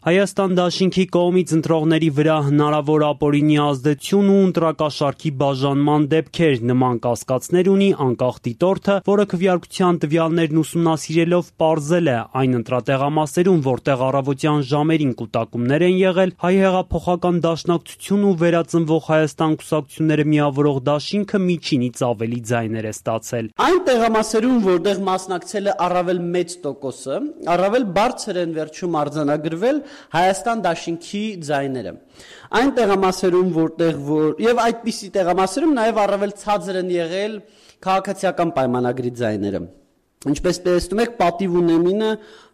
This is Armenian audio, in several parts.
Հայաստան դաշինքի կողմից ընտրողների վրա հնարավոր ապօրինի ազդեցություն ու ընտրակաշառքի բաժանման դեպքեր նման կասկածներ ունի անկախ դիտորդը, որը քվեարկության տվյալներն ուսումնասիրելով պարզել է այն ընտրատեղամասերում, որտեղ առավոտյան ժամերին կուտակումներ են եղել, հայ հեղափոխական դաշնակցություն ու Վերածնվող Հայաստան կուսակցությունները միավորող դաշինքը միջինից ավելի ձայներ է ստացել։ Այն տեղամասերում, որտեղ մասնակցել է առավել մեծ տոկոսը, առավել բարձր են վերջում արձանագրվել Հայաստան դաշինքի ձայները։ Այն տեղամասերում, եւ այդպիսի տեղամասերում նաև առավել ցածր են եղել քաղաքացիական պայմանագրի ձայները։ Ինչպես տեսնում եք, պատիվ ունեմինը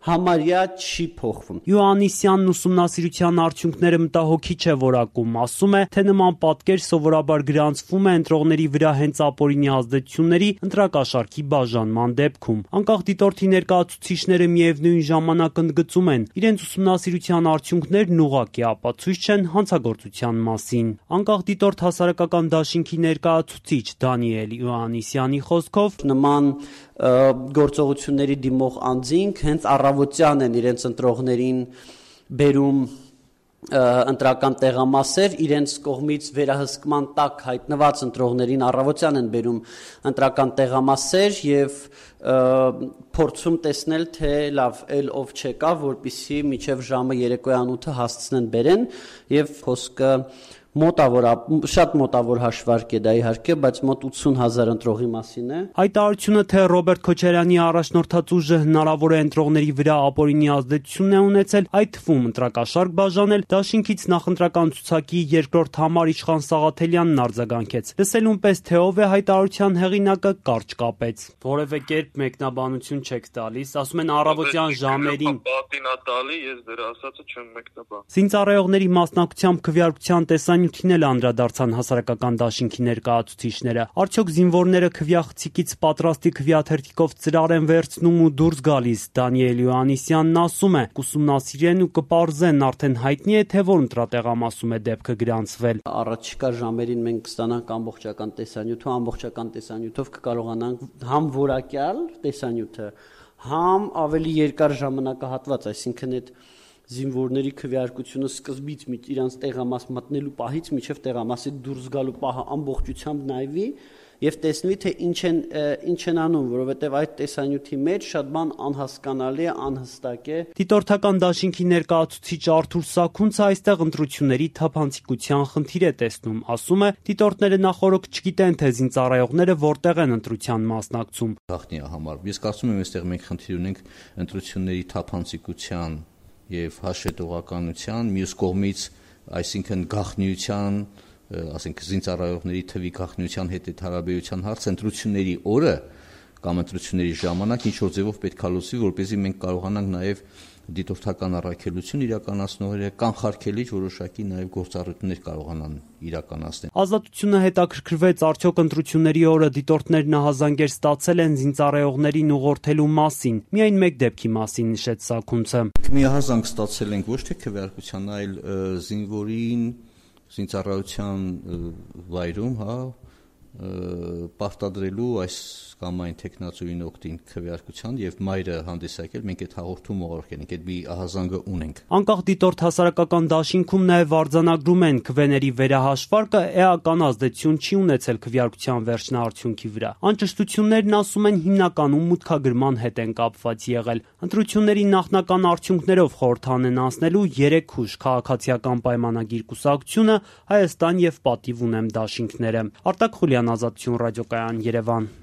համարյա չի փոխվում։ Յոհաննիսյանն ուսումնասիրության արդյունքները մտահոգիչ է որակում, ասում է, թե նման պատկեր սովորաբար գրանցվում է ընտրողների վրա հենց ապօրինի ազդեցությունների ընտրակաշառքի բաժանման դեպքում։ Անկախ դիտորդի ներկայացուցիչները միևնույն ժամանակ ընդգծում են, իրենց ուսումնասիրության արդյունքներն ուղղակի ապացույց չեն հանցագործության մասին։ Անկախ դիտորդ հասարակական դաշինքի ներկայացուցիչ Դանիել Յոհաննիսյանի խոսքով նման գործողությունների դիմող անձինք հենց առավոտյան են իրենց ընտրողներին բերում ընտրական տեղամասեր, իրենց կողմից վերահսկման տակ հայտնված ընտրողներին առավոտյան են բերում ընտրական տեղամասեր եւ փորձում տեսնել, թե լավ, ով չեկա, որպեսզի մինչև ժամը երեկոյան 8-ը հասցնեն բերեն եւ խոսքը շատ մոտավոր հաշվարկ է դա իհարկե, բայց մոտ 80,000 ընտրողի մասին է։ Հայտարարությունը, թե Ռոբերտ Քոչարյանի առաջնորդած ուժը հնարավոր է ընտրողների վրա ապօրինի ազդեցություն է ունեցել, այդ թվում ընտրակաշառք բաժանել, դաշինքից նախընտրական ցուցակի երկրորդ համար Իշխան Սաղաթելյանն արձագանքեց։ Լսելուն պես թե ով է հայտարարության հեղինակը, կարճ կապեց։ Որևէ կերպ մեկնաբանություն չեք տալիս, ասում են առավոտյան ժամերին։ Պատին է տալի, ես դեռ ասածը չեմ մեկնաբան։ Զինծառայողների մասնակցությամբ քվեարկության տեսանյութին էլ անդրադարձան հասարակական դաշինքի ներկայացուցիչները։ Արդյոք զինվորները քվեախցիկից պատրաստի քվեաթերթիկով ծրար են վերցնում ու դուրս գալիս։ Դանիել Յոհաննիսյանն ասում է, կուսումնասիրեն ու կպարզեն, արդեն հայտնի է, թե որ ընտրատեղամասում է դեպքը գրանցվել։ Առաջիկա ժամերին մենք կստանանք ամբողջական տեսանյութ ու ամբողջական տեսանյութով կկարողանանք համ որակյալ տեսանյութը, համ ավելի երկար ժամանակահատված, այսինքն այդ զինվորների քվեարկությունը սկզբից իրանց տեղամաս մտնելու պահից մինչև տեղամասի դուրս գալու պահը ամբողջությամբ նայվի եւ տեսնվի, թե ինչ են անում, որովհետեւ այդ տեսանյութի մեջ շատ բան անհասկանալի է, անհստակ է։ Դիտորդական դաշինքի ներկայացուցիչ Արթուր Սաքունցը այստեղ ընտրությունների թափանցիկության խնդիր է տեսնում, ասում է, դիտորդները նախօրոք չգիտեն, թե զինծառայողները որտեղ են ընտրության մասնակցում։ Գաղտնի է համարվում։ Ես կարծում եմ, այստեղ մենք խնդիր ունենք ընտրությունների թափանցիկության եւ հաշվետվողականության, մյուս կողմից, այսինքն գաղտնիության, ասենք զինծառայողների թվի գաղտնիության հետ այդ հարաբերության հարցը ընտրությունների օրը կամ ընտրությունների ժամանակ ինչ որ ձևով պետք է լուծվի, որպեսզի մենք կարողանանք նաեւ դիտորդական առաքելություն իրականացնողները կանխարգելիչ որոշակի նաև գործառույթներ կարողանան իրականացնել։ Ազատությունը հետաքրքրվեց, արդյոք ընտրությունների օրը դիտորդներն ահազանգեր ստացել են զինծառայողներին ուղղորդելու մասին։ Միայն մեկ դեպքի մասին նշեց Սաքունցը։ Մի ահազանգ ստացել ենք ոչ թե քվեարկության, այլ զինվորին զինծառայության վայրում, պարտադրելու այս կամ այն տեխնացուին օգտին քվեարկության եւ մայրը հանդիսակել, մենք այդ հաղորդում ուղարկել ենք, այդ մի ահազանգը ունենք։ Անկախ դիտորդ հասարակական դաշինքում նաեւ արձանագրում են քվեների վերահաշվարկը էական ազդեցություն չի ունեցել քվեարկության վերջնաարդյունքի վրա։ Անճշտություններն ասում են հիմնականում մուտքագրման հետ են կապված եղել։ Ընտրությունների նախնական արդյունքներով խորհրդան են անցնելու 3 հուժ քաղաքացիական պայմանագիր կուսակցությունը, Հայաստան եւ Պատիվ ունեմ դաշինքները։ Արտակ Խուլյան, Ազատություն ռադիոկայան, Երևան։